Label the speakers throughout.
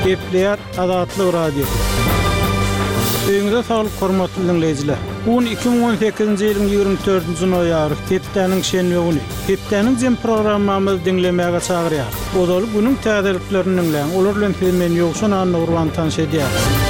Speaker 1: Gepleýär Azatlyk Radiosy. Öýüňize saglyk hormatly diňleýjiler. Bu gün 2018-nji ýylyň 24-nji noýabry, hepdäniň şenbe güni. Hepdäniň jem programmamyzy diňlemäge çagyrýarys. Ozaly günüň täzeliklerini diňläň, olar bilen sizi men Ýowşan Annagurban tanyş edýärin.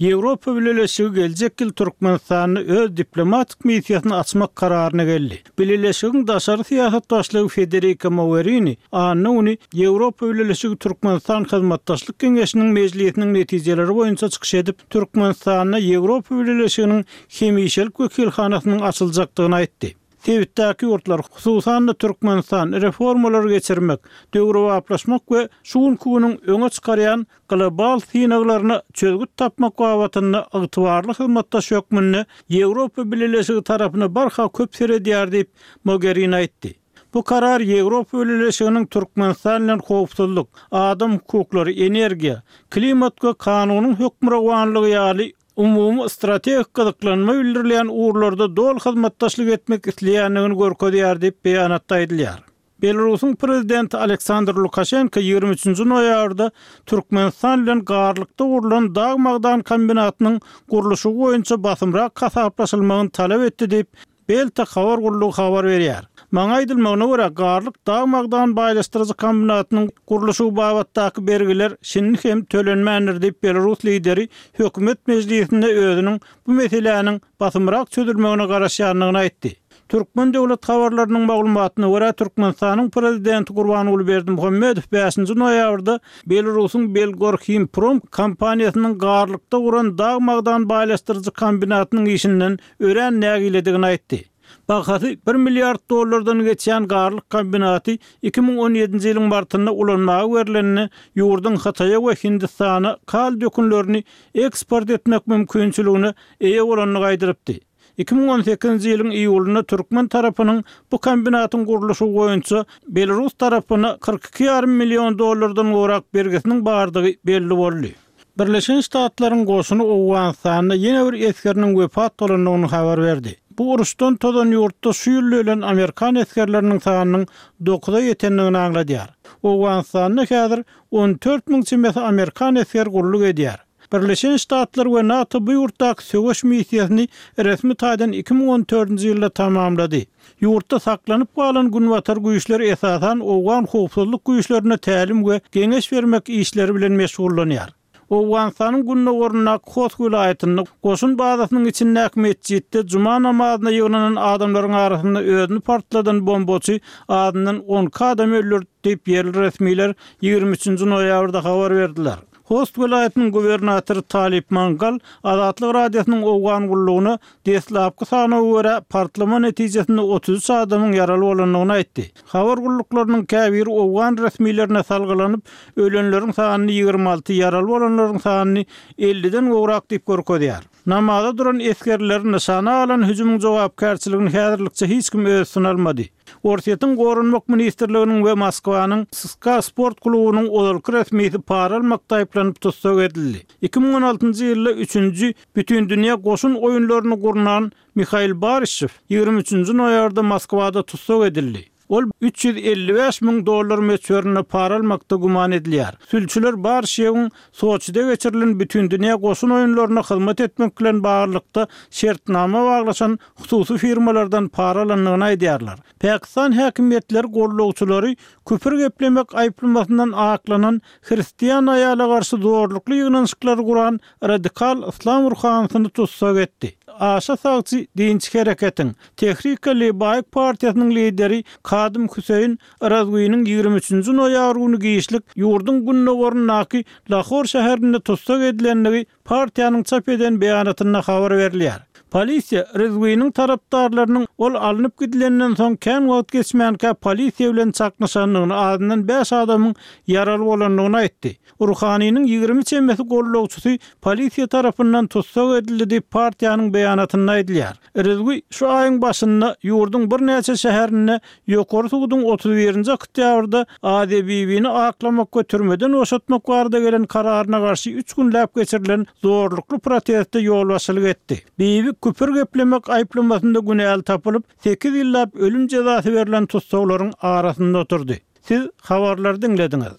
Speaker 1: Ýewropa Bileleşigi geljek ýyl Türkmenistanda öz diplomatik missiýasyny açmak kararyna geldi. Bileleşigiň daşary syýasat başlygy Federika Mogerini anna güni Ýewropa Bileleşigi-Türkmenistan Hyzmatdaşlyk Geňeşiniň mejlisiniň netijeleri boýunça çykyş edip, Türkmenistanda Ýewropa Bileleşiginiň hemişelik wekilhanasynyň açyljakdygyny aýtdy. Sebitdäki ýurtlar, hususan-da, Türkmenistan reformalary geçirmek, döwrebaplaşmak we şu günki günüň öňe çykarýan global synaglaryna çözgüt tapmak babatynda ygtybarly hyzmatdaş hökmünde Ýewropa Bileleşigi tarapyna barha köp seredýär diýip, Mogerini aýtdy. Bu karar Ýewropa Bileleşiginiň Türkmenistan bilen howpsuzlyk, adam hukuklary, energiýa, klimat we kanunyň hökmürowanlygy ýaly umumy strategik gyzyklanma bildirilýän ugurlarda doly hyzmatdaşlyk etmek isleýändigini görkezýär diýip, beýanatda aýdylýar. Belarusyň prezidenti Aleksandr Lukaşenko 23-nji noýabrda Türkmenistan bilen Garlykda gurlan dag-magdan kombinatynyň gurluşygy boýunça basymrak hasaplaşylmagyny talap etdi diýip, Belta habar gullugy habar berýär. Maňa aýdylmagyna görä, Garlyk dag-magdan baýlaşdyryjy kombinatynyň gurluşygy babatdaky bergiler şindi hem tölenmändir diýip, belarus lideri hökümet mejlisinde özüniň bu meseläniň basymrak çözülmegine garaşýandygyny aýtdy. Türkmen döwlet habarlarynyň maglumatyna görä, Türkmenistanyň Prezidenti Gurbanguly Berdimuhamedow bäşinji noýabrda Belarusyň Belgorhimprom kompaniýasynyň Garlykda guran dag-magdan baýlaşdyryjy kombinatynyň işinden örän nägiledigini aýtdy. Bahasy bir milliard dollardan geçýän Garlyk kombinaty 2017-nji ýylyň martynda ulanmaga berlende, ýurduň Hytaýa we Hindistana kal dökünlerini eksport etmek mümkinçiligine eýe bolandygy aýdylypdy. 2018-nji ýylyň iýulynda türkmen tarapynyň bu kombinatyň gurluşygy boýunça belarus tarapyna 42 ýarym million dollardan gowrak bergisiniň bardygy belli boldy. Birleşen Ştatlaryň goşuny Owganystanda ýene bir esgeriniň wepat bolandygyny habar berdi. Bu uruşdan tozan ýurtda şu ýylda ölen amerikan esgerleriniň sanynyň dokuza ýetendigini aňladýar. Owganystanda häzir 14 müň çemesi amerikan esgeri gulluk edýär. Birleşen Ştatlar we NATO bu ýurtdaky söweş missiýasyny resmi taýdan 2014-nji ýylda tamamlady. Ýurtda saklanyp galan günbatar güýçleri esasan owgan howpsuzlyk güýçlerine tälim we geňeş bermek işleri bilen meşgullanýar. Owganystanyň gündogaryndaky Host welaýatynda goşun bazasynyň içindäki metjitde juma namazyna ýygnanan adamlaryň arasynda özüni partladan bombaçy azyndan 12 adamy öldürdi diýip, ýerli resmiler 23-nji noýabrda habar berdiler. Host welaýatynyň gubernatory Talip Mangal Azatlyk Radiosynyň Owgan gullugyna deslapky sanawa görä, partlama netijesinde 33 adamyň ýaraly bolandygyny aýtdy. Habar gulluklarynyň käbiri owgan resmilerine salgylanyp, ölenleriň sanyny 26, ýaraly bolanlaryň sanyny elliden gowrak diýip görkezýär. Namaza duran esgerleri nyşana alan hüjümiň jogapkärçiligini häzirlikçe hiç kim öz üstüne almady. Orsýetiň Goranmak ministrliginiň we Moskwanyň SSKA sport klubunyň ozalky resmisi para almakda aýyplanyp tussag edildi. 2016-njy ýylda üçünji Bütindünýä goşun oýunlaryny gurnan Mihail Baryşew 23-nji noýabrda Moskwada tussag edildi. Ol 355 müň dollar möçberinde para almakda güman edilýär. Sülçüler Baryşewiň Soçide geçirilen Bütindünýä goşun oýunlaryna hyzmat etmek bilen baglylykda şertnama baglaşan hususy firmalardan para alandygyny aýdýarlar. Pakistan häkimiýetleri gollagçylary küfür geplemek aýyplamasyndan aklanan hristian aýala garşy zorlukly ýygnanyşyklary guran radikal yslam ruhanysyny tussag etdi. Aşa sagçy dinçi hereketiň, Tehrik-e-Lebaýk partiýasynyň lideri Kadym Hüseýin Razwiniň 23-nji noýabr güni giçlik ýurduň gündogaryndaky Lahor şäherinde tussag edilendigi partiýanyň çap eden beýanatynda habar berilýär. Polisiýa Rizwiniň tarapdarlarynyň ol alnyp gidilenden soň kän wagt geçmänkä polisiýa bilen çaknyşandygyny, azyndan bäş adamyň ýaraly bolandygyny aýtdy. Ruhanynyň 20 çemesi gollagçysy polisiýa tarapyndan tussag edildi diýip, partiýanyň beýanatynda aýdylýar. Rizwi şu aýyň başynda ýurduň birnäçe şäherinde Ýokary suduň 31-nji oktýabrda Aziýa Bibini aklamak we türmeden boşatmak barada gelen kararyna garşy üç günläp geçirilen zorlukly proteste ýolbaşçylyk etdi. Bibi küpür geplemek aýyplamasynda günäli tapylyp, sekiz ýyllap ölüm jezasy berlen tussaglaryň arasynda oturdy. Siz habarlary diňlediňiz.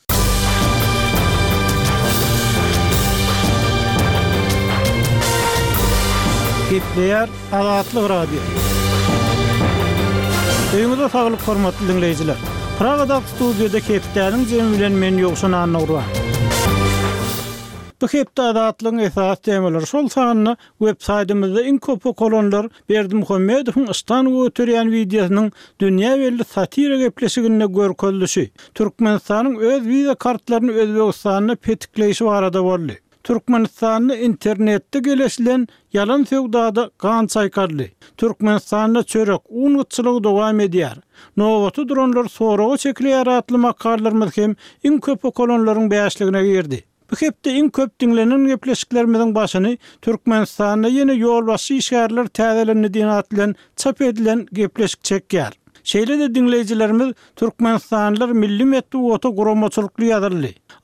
Speaker 1: Gepleýär Azatlyk Radiosy. Öýüňize saglyk hormatly diňleýjiler. Pragadaky studiýada hepdäniň jemi bilen men Ýowşan Annagurban. Bu hepde Azatlygyň esasy temalary, şol sanda web saýtymyzda iň köp okalanlar Berdimuhamedowyň yşdan göterýän wideosynyň dünýä belli satira gepleşiginde görkezilişi, Türkmenistanyň öz wiza kartlaryny Özbegistanda petikleýşi barada boldy. Türkmenistanda internetde geleşilen ýalan söwdada gan çaýkaldy. Türkmenistanda çörek, un gytçylygy dowam edýär. Nobata duranlar soraga çekilýär atly makalalarymyz hem iň köp okalanlaryň bäşligine girdi. Bu hepde iň köp diňlenen gepleşiklerimiziň başyny Türkmenistanda ýene ýolbaşçy işgärler täzelendi diýen at bilen çap edilen gepleşik çekýär. Şeýle-de diňleýjilerimiz Türkmenistanlylar milli metbugata guramaçylykly ýazyldy.